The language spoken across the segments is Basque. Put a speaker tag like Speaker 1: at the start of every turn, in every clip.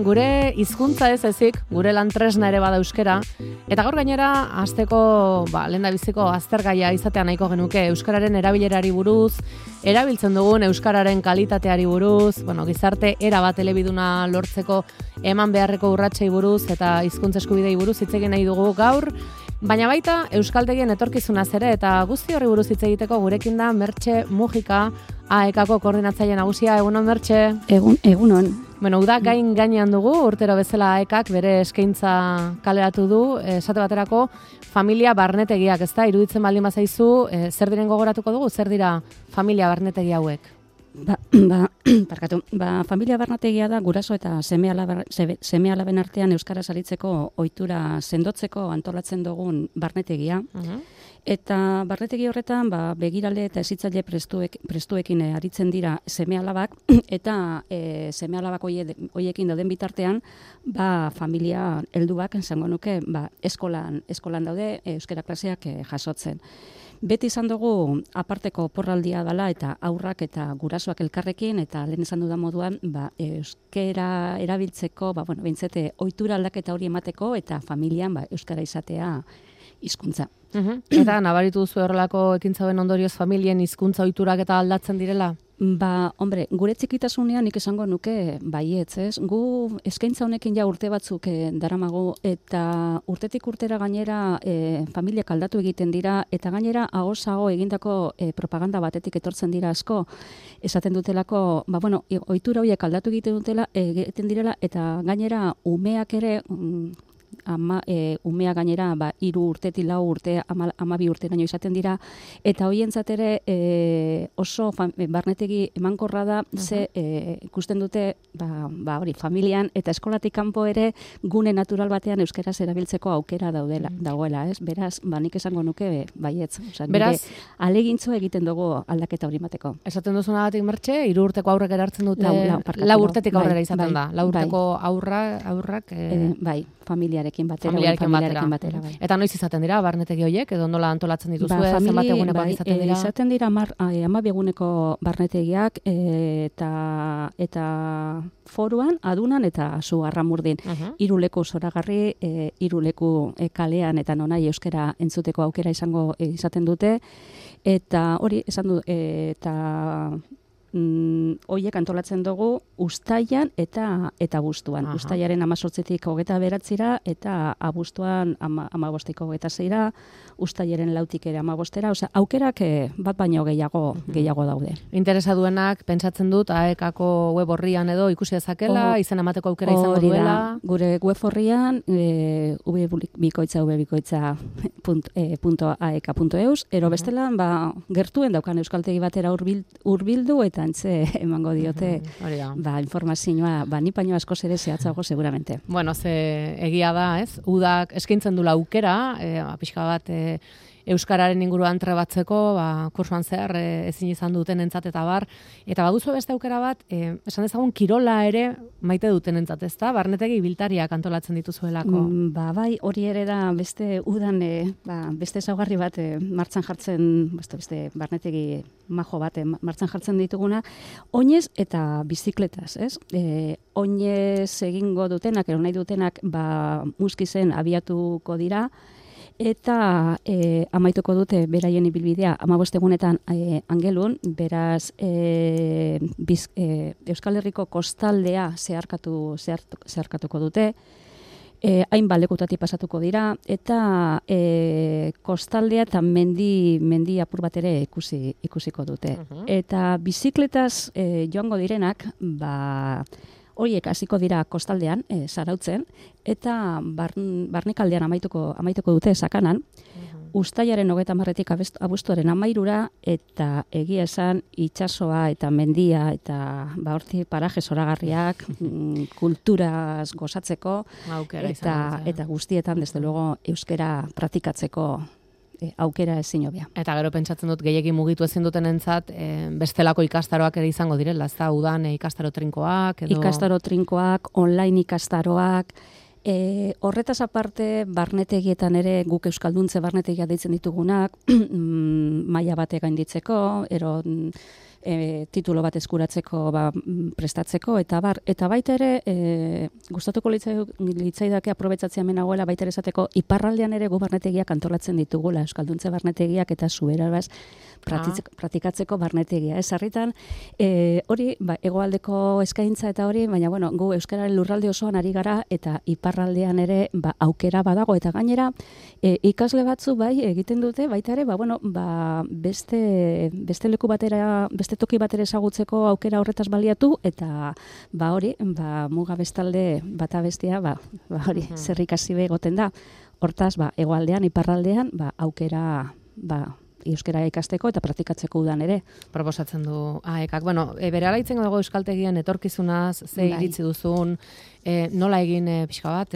Speaker 1: Gure hizkuntza ez ezik, gure lan tresna ere bada euskara, eta gaur gainera hasteko lehendabiziko aztergaia izatea nahiko genuke euskararen erabilerari buruz, erabiltzen dugun euskararen kalitateari buruz, gizarte erabat elebiduna lortzeko eman beharreko urratsei buruz eta hizkuntza eskubidei buruz hitz egin nahi dugu gaur, baina baita euskaltegien etorkizunaz ere eta guzti horri buruz hitz egiteko gurekin da Mertxe Mujika, AEKako koordinatzaile nagusia. Egunon, Mertxe?
Speaker 2: Egunon.
Speaker 1: Uda gainean dugu, urtero bezala AEKak bere eskaintza kaleratu du, esate baterako familia barnetegiak, ezta? Iruditzen baldin bazaizu, zer diren gogoratuko dugu, zer dira familia barnetegi hauek?
Speaker 2: Familia barnetegia da guraso eta seme-alaben artean euskaraz aritzeko ohitura sendotzeko antolatzen dugun barnetegia. Eta barnetegi horretan begirale eta hezitzaile prestuekin aritzen dira seme-alabak eta seme-alabak hoiekin dauden bitartean familia helduak esango nuke eskolan daude euskara klaseak jasotzen. Beti izan dugu aparteko porraldia dela eta aurrak eta gurasoak elkarrekin eta lehen esan dudan moduan euskara erabiltzeko behintzete ohitura aldaketa hori emateko eta familian euskara izatea hizkuntza.
Speaker 1: Eta nabaritu duzu horrelako ekintzauen ondorioz familien hizkuntza ohiturak eta aldatzen direla?
Speaker 2: Gure txikitasunean nik esango nuke baietz, ez? Gu eskaintza honekin urte batzuk daramagu eta urtetik urtera gainera familiak aldatu egiten dira eta gainera ahoz-aho egindako propaganda batetik etortzen dira asko. Esaten dutelako, ohitura horiek aldatu egiten direla eta gainera umeak ere umea gainera 3 urtetik 4 urte, 12 urteraino izaten dira eta hoientzat ere oso barnetegi emankorra da ze ikusten dute familian eta eskolatik kanpo ere gune natural batean euskaraz erabiltzeko aukera dagoela, ez? Beraz, nik esango nuke baietz, beraz alegintzo egiten dugu aldaketa hori mateko.
Speaker 1: Esaten duzunagatik, Mertxe, 3 urteko aurrek erartzen dute 4 urtetik aurrera izaten da. 4 urteko aurrak
Speaker 2: familiarekin batera.
Speaker 1: Eta noiz izaten dira barnetegi horiek, edo nola antolatzen dituzue, zenbat egunekoak izaten dira?
Speaker 2: Izaten dira 12 eguneko barnetegiak eta foruan, adunan eta Zugarramurdin. 3 leku zoragarri, 3 leku kalean eta nonai euskara entzuteko aukera izaten dute. Eta hori esan du, eta horiek antolatzen dugu uztailan eta abuztuan. Uztailaren 18tik 29 eta abuztuan 15tik 26, uztailaren 4tik ere 15, aukerak bat baino gehiago daude.
Speaker 1: Interesa duenak pentsatzen dut AEKako web orrian edo ikusi dezakela, izen emateko aukera izango duela.
Speaker 2: Gure web orrian www.aek.eus, ero bestelan gertuen daukan euskaltegi batera hurbildu eta antze emango diote informazioa, ni baino askoz ere zehatzago seguramente.
Speaker 1: Ze egia da, ez? Udak eskaintzen dula aukera, pixka bat euskararen inguruan trebatzeko, kursuan zehar ezin izan dutenentzat eta bar, eta baduzu beste aukera bat, esan dezagun kirola ere maite dutenentzat, ezta? Barnetegi ibiltariak antolatzen dituzuelako.
Speaker 2: Bai, hori ere da beste udan beste ezaugarri bat martxan jartzen, beste barnetegi majo bat martxan jartzen dituguna, oinez eta bizikletaz, ez? Oinez egingo dutenak, ero nahi dutenak, muskizen abiatuko dira, eta amaituko dute beraien ibilbidea 15 egunetan Angelun, beraz Euskal Herriko kostaldea zeharkatuko dute, hainbat lekutatik pasatuko dira, eta kostaldea eta mendi apur bat ere ikusiko dute. Eta bizikletaz joango direnak, horiek hasiko dira kostaldean, Zarautzen, eta barnekaldean amaituko dute Sakanan, uztailaren 30tik abuztuaren 13 eta egia esan itsasoa eta mendia eta horti paraje zoragarriak kulturaz gozatzeko eta guztietan desde luego euskara praktikatzeko aukera ezin hobea.
Speaker 1: Eta gero pentsatzen dut gehiegi mugitu ezin dutenentzat bestelako ikastaroak ere izango direla, ez da udan ikastaro trinkoak edo
Speaker 2: ikastaro trinkoak, online ikastaroak, horretaz aparte barnetegietan ere guk euskalduntze barnetegia deitzen ditugunak maila batek gainditzeko, ero titulo bat eskuratzeko prestatzeko, eta baita ere gustatuko litzaidake aprobetxatzea menagoela baita ere esateko iparraldean ere barnetegiak antolatzen ditugula, euskalduntze barnetegiak eta zuberabaz praktikatzeko barnetegia. Sarritan hori hegoaldeko eskaintza eta hori, baina gu euskararen lurralde osoan ari gara eta iparraldean ere aukera badago, eta gainera ikasle batzu egiten dute baita ere beste leku batera, beste toki batera ezagutzeko aukera horretaz baliatu, eta hori, muga bestalde bata bestea, hori, zer ikasi egoten da. Hortaz, hegoaldean, iparraldean, aukera, euskara ikasteko eta praktikatzeko udan ere.
Speaker 1: Proposatzen du AEKak. Bere alaitzen dago euskaltegian etorkizunaz, ze iritzi duzun, nola egin pixka bat,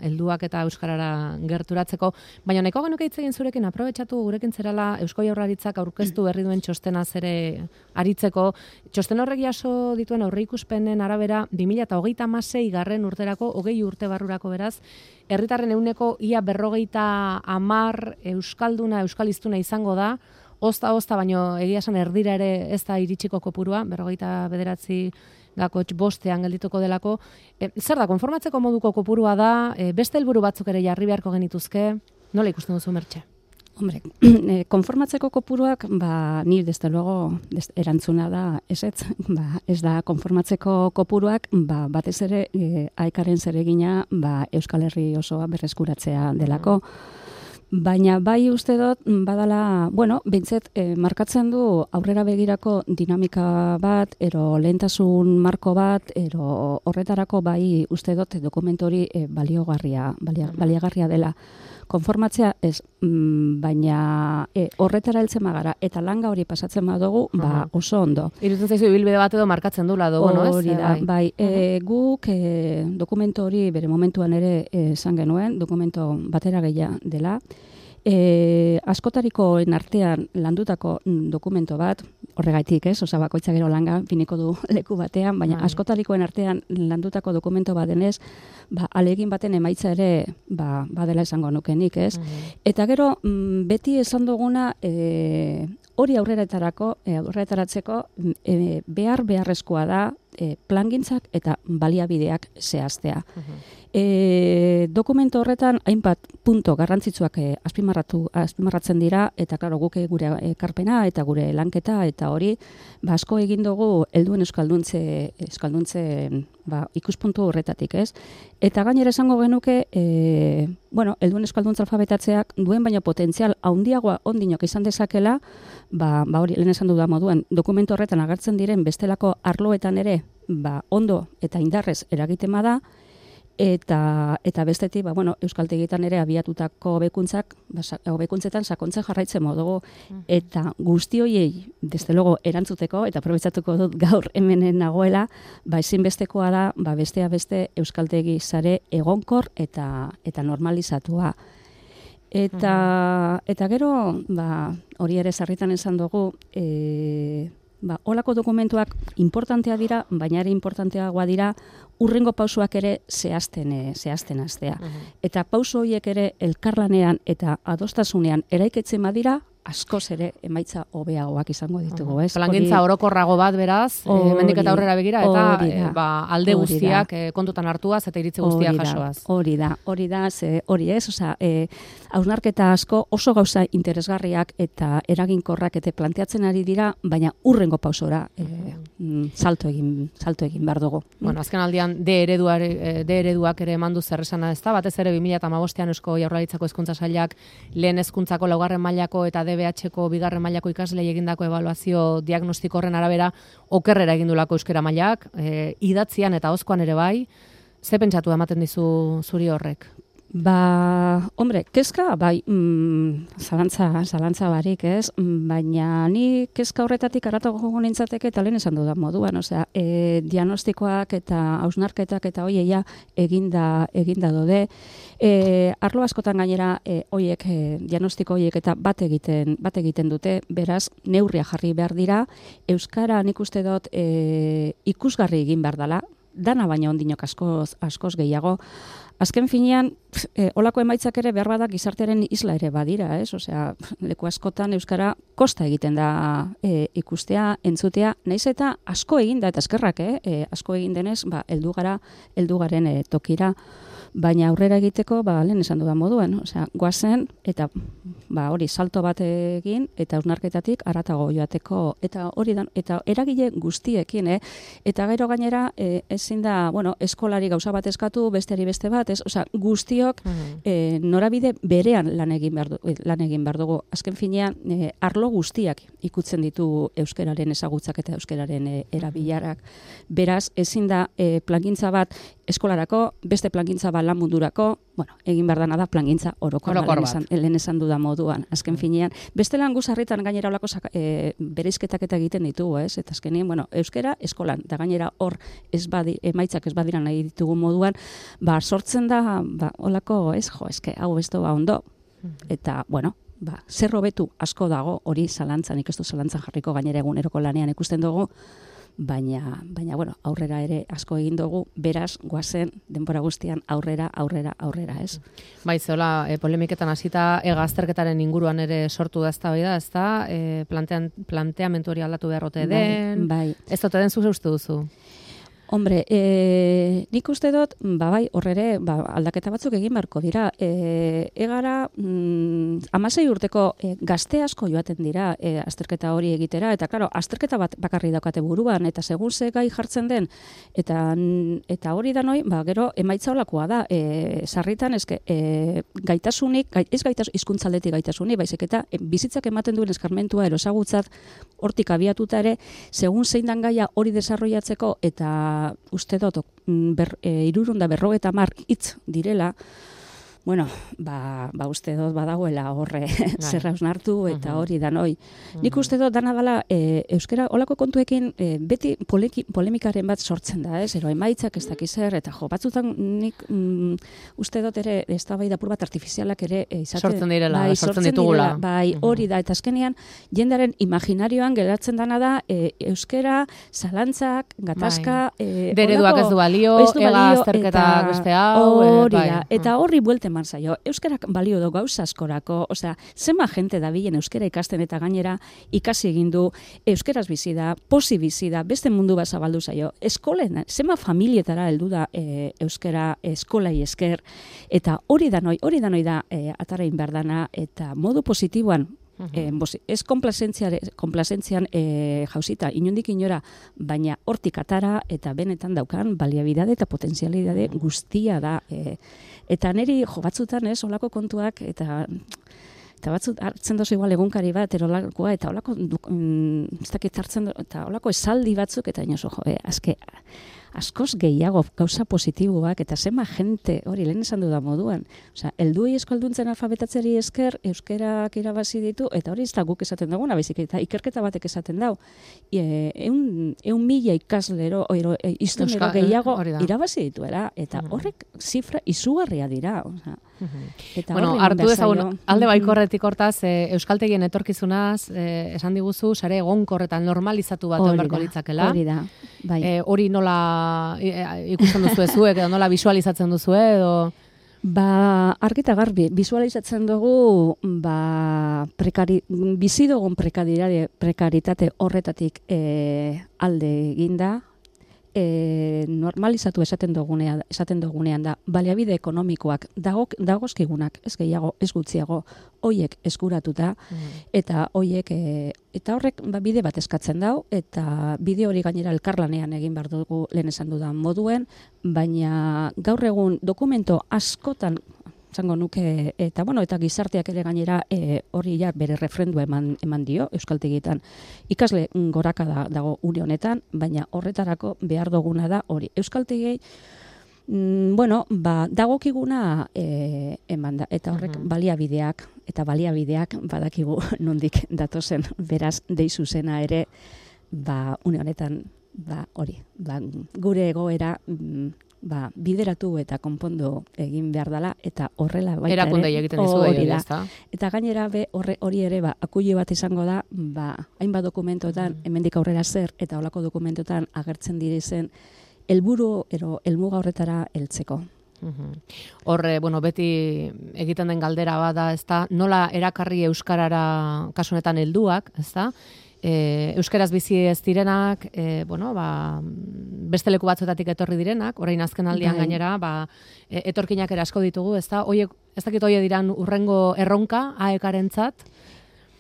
Speaker 1: helduak eta euskarara gerturatzeko, baina nahiko genuke hitz egin zurekin, aprobetxatu gurekin zerala Eusko Jaurlaritzak aurkeztu berri duen txostenaz ere aritzeko. Txosten horrek jaso dituen aurreikuspenen arabera 2026 urterako, 20 urte barrurako beraz, herritarren ehuneko ia 50 euskalduna, euskaliztuna izango da, ozta, baino egia esan erdira ere ez da iritsiko kopurua, 59 bostean geldituko delako. Zer da, konformatzeko moduko kopurua da, beste helburu batzuk ere jarri beharko genituzke, nola ikusten duzu, Mertxe?
Speaker 2: Hombre, konformatzeko kopuruak, ni desde luego erantzuna da, ez da konformatzeko kopuruak, batez ere AEKaren zeregina Euskal Herri osoa berreskuratzea delako. Baina uste dut, badala, bintzet, markatzen du aurrera begirako dinamika bat, ero lehentasun marko bat, ero horretarako uste dut dokumentu hori baliagarria dela. Konformatzea ez, baina horretara heltzen magara, eta langa hori pasatzen badugu, oso ondo.
Speaker 1: Irutzen zaizu ibilbide bat edo markatzen dula dugu, no ez?
Speaker 2: Hori da, guk dokumentu hori bere momentuan ere esan genuen, dokumentu batera gehia dela. Askotarikoen artean landutako dokumento bat, horregaitik ez, bakoitza gero langa finiko du leku batean, baina askotarikoen artean landutako dokumento bat denez, alegin baten emaitza ere badela esango nukenik ez. Eta gero, beti esan duguna hori aurretaratzeko beharrezkoa da plangintzak eta baliabideak zehaztea. Dokumento horretan hainbat punto garrantzitsuak azpimarratzen dira, eta klaro guk gure ekarpena eta gure lanketa eta hori asko egin dugu helduen euskalduntze ikuspuntu horretatik, ez? Eta gainera esango genuke, helduen euskalduntza alfabetatzeak duen baina potentzial handiagoa ondinok izan dezakela, hori lehen esan dudan moduen, dokumentu horretan agertzen diren bestelako arloetan ere, ondo eta indarrez eragiten da, eta bestetik, euskaltegietan ere abiatutako hobekuntzetan sakontzen jarraitzen modugu, eta guzti horiei, desde luego, erantzuteko, eta aprobetxatuko dut gaur hemenen nagoela, ezinbestekoa da, bestea beste euskaltegi sare egonkor eta normalizatua. Eta gero, hori ere sarritan esan dugu, holako dokumentuak importantea dira, baina ere importanteagoa dira urrengo pausoak ere zehazten hastea. Eta pauso horiek ere elkarlanean eta adostasunean eraikitzen badira, askoz ere emaitza hobeagoak izango ditugu, ez?
Speaker 1: Plangintza orokorrago bat beraz, hemendik eta aurrera begira, eta alde guztiak kontutan hartuaz eta iritzi guztiak jasoaz.
Speaker 2: Hori da, hori ez, hausnarketa asko oso gauza interesgarriak eta eraginkorrak eta planteatzen ari dira, baina urrengo pausora salto egin behar dugu.
Speaker 1: Azken aldian D ereduak ere emandu zerresana ez da, batez ere 2015an Eusko Jaurlaritzako Hezkuntza Sailak lehen hezkuntzako 2. mailako eta DBH-ko 2. mailako ikaslei egindako ebaluazio diagnostiko horren arabera okerrera egindulako euskara mailak, idatzian eta ahozkoan ere bai. Ze pentsatu ematen dizu zuri horrek?
Speaker 2: Hombre, kezka, zalantza barik, ez? Baina ni kezka horretatik aratago jogo nintzateke eta lehen esan dudan moduan, diagnostikoak eta hausnarketak eta hoieia eginda dode. Arlo askotan gainera diagnostiko hoiek eta bat egiten dute, beraz, neurria jarri behar dira, euskara nik uste dut ikusgarri egin behar dela, dana baina ondinok askoz gehiago. Azken finean, olako emaitzak ere behar badak gizartearen isla ere badira, ez? Osea, leku askotan euskara kosta egiten da ikustea, entzutea, naiz eta asko egin da, eta eskerrak, asko egin denez, heldu garen tokira, baina aurrera egiteko, lehen esan dudan moduan, osea, goazen, eta hori salto bat egin, eta hausnarketatik haratago joateko, eta hori da, eta eragile guztiekin, eta gero gainera, ezin da, eskolari gauza bat eskatu, besteari beste bat, osea, guztiok norabide berean lan egin behar dugu. Azken finean, arlo guztiak ikutzen ditu euskararen ezagutzak eta euskararen erabilarak. Beraz, ezin da plangintza bat eskolarako, beste plangintza bat lan mundurako, egin behar dana da plangintza orokor lehen esan dudan moduan. Azken finean, beste lan guzarritan gainera olako bereizketak eta egiten ditugu, eta azkenien, euskara eskolan, da gainera hor emaitzak ez badira nahi ditugu moduan, sortzen da, olako, hau ez doa ondo, eta, zer hobetu asko dago, hori zalantzan, nik ez du zalantzan jarriko gainera eguneroko lanean ikusten dugu, baina, aurrera ere asko egin dugu, beraz, goazen, denbora guztian, aurrera, ez?
Speaker 1: Bai, zehola, polemiketan hasita azterketaren inguruan ere sortu da ez da, planteamentu hori aldatu beharrote den, ez dute den zuze uste duzu?
Speaker 2: Hombre, nik uste dut, horrere, aldaketa batzuk egin beharko dira. Egara, 16 urteko gazte asko joaten dira azterketa hori egitera, eta, klaro, azterketa bat bakarri daukate buruan, eta segun ze gai jartzen den, eta hori da noi, gero, emaitza holakoa da. Sarritan, gaitasunik, hizkuntzaldetik gaitasunik, baizik eta bizitzak ematen duen eskarmentua erosagutzat, hortik abiatuta ere, segun zein dan gaia hori desarrollatzeko, eta uste dut, 350 hitz direla, uste dut badagoela horre zerra hausnartu eta hori danoi. Nik uste dut dana dela euskara olako kontuekin beti polemikaren bat sortzen da, ero emaitzak ez dakizer, eta batzutan nik uste dut ere eztabaida apur bat artifizialak ere
Speaker 1: sortzen direla, sortzen ditugula.
Speaker 2: Hori da, eta azkenean jendearen imaginarioan geratzen dana da euskara, zalantzak, gatazka,
Speaker 1: dereduak ez du balio, ega azterketak beste hau,
Speaker 2: hori da, eta horri buelten zaio. Euskarak balio du gauza askorako, osea, zema jente dabilen euskara ikasten eta gainera ikasi egin du, euskaraz bizi da, posi bizi da, beste mundu bat zabaldu zaio. Eskolen, zema familietara heldu da euskara eskolai esker, eta hori da noi da atarain behar dana, eta modu positiboan, ez konplazentzian jauzita, inondik inora, baina hortik atara eta benetan daukan baliabidade eta potentzialidade guztia da. Eta niri batzutan olako kontuak eta batzut hartzen dozu igual egunkari bat, erolakoa, eta olako ez dakit hartzen eta olako esaldi batzuk, eta inozo, askoz gehiago gauza positiboak, eta zema jente, hori lehen esan dudan moduan. Osea, helduei eskalduntzen alfabetatzeri esker, euskerak irabazi ditu, eta hori ez da guk esaten duguna, baizik, eta ikerketa batek esaten dau. 100.000 ikaslero, iztunero gehiago irabazi dituela, eta horrek zifra izugarria dira.
Speaker 1: Hartu dezagun, alde baikorretik hortaz, euskaltegien etorkizunaz, esan diguzu, sare egonkorretan normalizatu bat berko litzakela.
Speaker 2: Hori da, bai.
Speaker 1: Hori nola ikusten duzu zuek, edo nola visualizatzen duzu edo?
Speaker 2: Argita garbi, visualizatzen dugu bizi dugun prekaritate horretatik alde eginda, normalizatu esaten dugunean da, baliabide ekonomikoak dagozkigunak, ez gehiago, ez gutxiago, hoiek eskuratuta, eta hoiek, eta horrek bide bat eskatzen dau, eta bide hori gainera elkarlanean egin behar dugu lehen esan dudan moduen, baina gaur egun dokumento askotan zango nuke, eta gizarteak ere gainera hori bere refrendua eman dio, euskaltegietan. Ikasle goraka dago une honetan, baina horretarako behar duguna da hori. Euskaltegiei, dagokiguna eman da, eta horrek baliabideak badakigu nondik datozen, beraz, deizu zena ere, une honetan, hori, gure egoera, bideratu eta konpondu egin behar dela, eta horrela baita ere.
Speaker 1: Erakundei egiten dizu hori da.
Speaker 2: Eta gainera hori ere, akuile bat izango da, hainbat dokumentotan, hemendik aurrera zer, eta holako dokumentotan agertzen direzen helburu helmuga horretara heltzeko.
Speaker 1: Horre, beti egiten den galdera bada, ezta, nola erakarri euskarara kasunetan helduak, ezta? Euskaraz bizi ez direnak, beste leku batzuetatik etorri direnak, orain azken aldian gainera, etorkinak ere asko ditugu, ezta? Hoiek, ez dakit hoie diran urrengo erronka AEKarentzat?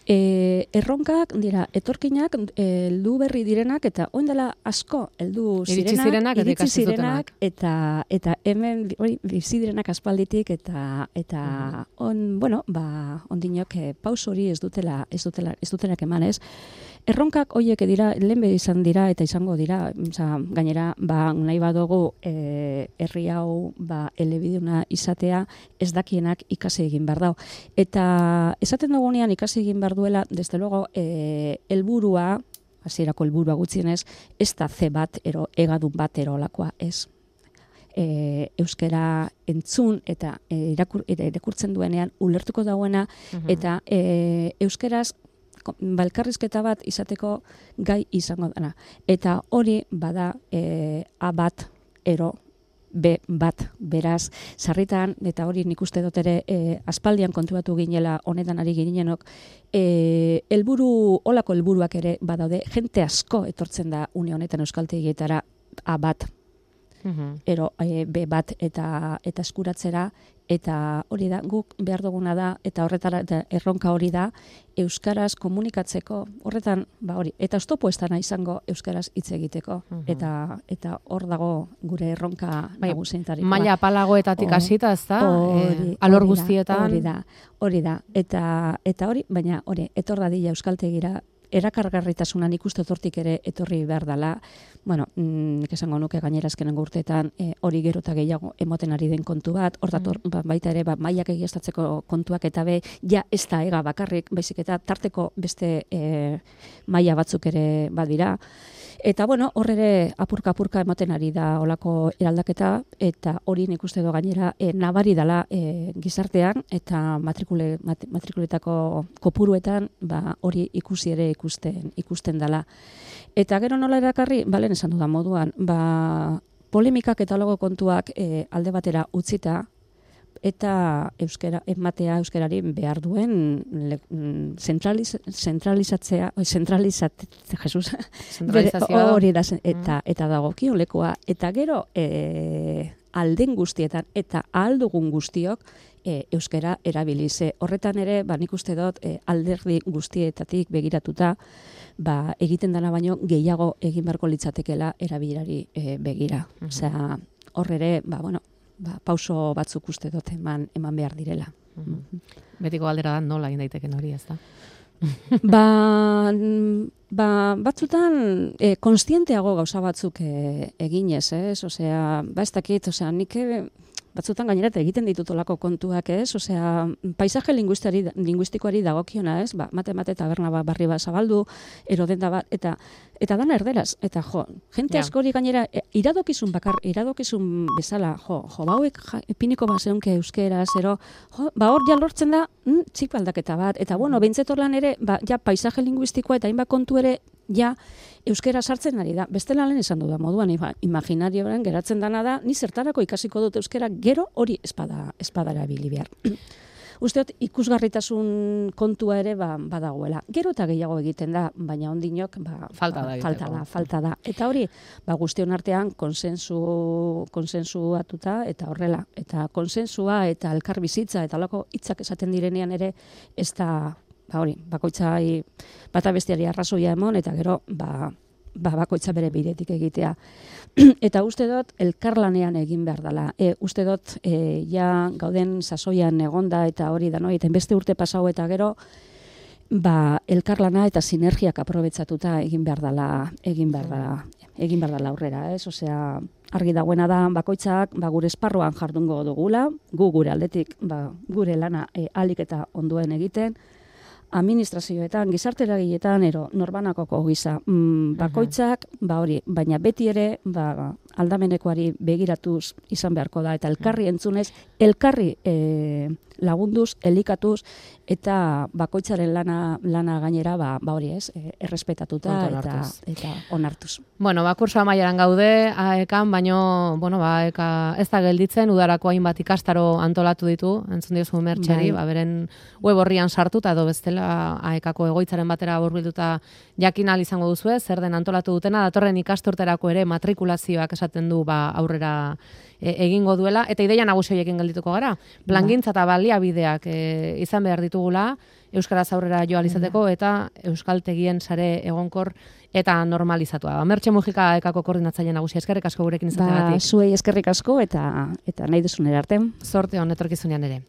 Speaker 2: Erronkak dira etorkinak heldu berri direnak eta orain dela asko heldu zirenak, iritsi zirenak eta hemen bizi direnak aspalditik eta ondinok pauso hori ez dutenak eman, ez? Erronkak hoiek dira lehenbe izan dira eta izango dira, gainera nahi badugu herri hau elebiduna izatea ez dakienak ikasi egin behar dau. Eta esaten dugunean ikasi egin behar duela, desde luego, helburua, hasierako helburua gutxienez, ez da C bat, egadun bat erolakoa, ez. Euskara entzun eta irakurtzen duenean ulertuko dauena, eta euskaraz balkarrizketa bat izateko gai izango dana. Eta hori bada A bat, B bat, beraz, sarritan, eta hori nik uste dut ere aspaldian kontuatu ginela honetan ari ginenok, olako helburuak ere badaude, jente asko etortzen da une honetan euskaltegietara A bat, B bat eta eskuratzera, eta hori da, guk behar duguna da, eta horretara erronka hori da, euskaraz komunikatzeko, horretan, eta oztopo ez dana izango euskaraz hitz egiteko, eta hor dago gure erronka nagusientarikoa.
Speaker 1: Maila apalagoetatik hasita, ez da? Alor guztietan.
Speaker 2: Hori da, eta hori, baina hori, etor dadila euskaltegira, erakargarritasunan ikuste hortik ere etorri behar dela, nik esango nuke gainera azkenengo urteetan hori gero eta gehiago emoten ari den kontu bat, hor dator baita ere mailak egiaztatzeko kontuak eta ja ez da ega bakarrik, baizik eta tarteko beste maila batzuk ere badira. Eta hor ere apurka emoten ari da olako eraldaketa, eta hori nik uste do gainera nabari dela gizartean, eta matrikuletako kopuruetan hori ikusi ere ikusten dela. Eta gero nola erakarri, balen esan dudan moduan, polemikak eta logo kontuak alde batera utzita, eta euskarari behar duen zentralizazioa hori da, eta dagokion lekoa, eta gero alden guztietan eta aldugun guztiok euskara erabilize. Horretan ere, nik uste dut alderdi guztietatik begiratuta, egiten dena baino gehiago egin beharko litzatekela erabilari begira. Osea, hor ere, pauso batzuk uste dut eman behar direla.
Speaker 1: Betiko galdera da nola egin daiteken hori, ez da?
Speaker 2: Batzutan konstienteago gauza batzuk eginez, ez? Osea, ez dakit, nik batzutan gainera egiten ditutolako kontuak, ez? Osea, paisaje linguistikoari dagokiona, ez? Mate taberna barri bat zabaldu, erodenda bat, eta dana erderaz. Eta jente askori gainera iradokizun bezala, hauek epiniko bat zeunke euskeraz, hor ja lortzen da txip aldaketa bat. Eta behintzetorlan ere, paisaje linguistikoa eta hainbat kontu ere, euskera sartzen ari da. Bestela lehen esan duda moduan, imaginarioan geratzen dana da, ni zertarako ikasiko dut euskera, gero hori espadara bili behar. Usteot, ikusgarritasun kontua ere badagoela. Gero eta gehiago egiten da, baina ondinok falta da. Eta hori, guztion artean konsensuatuta eta horrela. Eta konsensua eta elkar bizitza eta holako hitzak esaten direnean ere ez da bakoitzai bata besteari arrazoia emon, eta gero bakoitza bere bidetik egitea. Eta uste dut elkarlanean egin behar dela. Uste dut gauden sasoian egonda eta hori da, eta beste urte pasau eta gero elkarlana eta sinergiak aprobetsatuta egin behar dela aurrera, ez? Osea, argi dagoena da bakoitzak gure esparruan jardungo dugula, gu gure aldetik gure lana alik eta ondoen egiten, administrazioetan, gizarte eragiletan, norbanakoko gisa. Bakoitzak, hori, baina beti ere, aldamenekoari begiratuz izan beharko da, eta elkarri entzunez, elkarri lagunduz, elikatuz, eta bakoitzaren lana gainera, hori ez, errespetatuta eta onartuz.
Speaker 1: Bueno, kurso amaieran gaude, AEKan, baino, AEKa ez da gelditzen, udarako hainbat ikastaro antolatu ditu, entzun diozu Mertxeri, beren web horrian sartuta, edo bestela AEKako egoitzaren batera hurbilduta jakin ahal izango duzu, zer den antolatu dutena, datorren ikasturterako ere matrikulazioak esaten du aurrera egingo duela, eta ideia nagusi horiekin geldituko gara. Plangintza eta baliabideak izan behar ditugula, euskaraz aurrera joan izateko, eta euskaltegien sare egonkor eta normalizatua. Mertxe Mujika AEKako koordinatzaile nagusia, eskerrik asko gurekin izateagatik.
Speaker 2: Zuei eskerrik asko eta nahi duzun arte.
Speaker 1: Zorte on etorkizunean ere.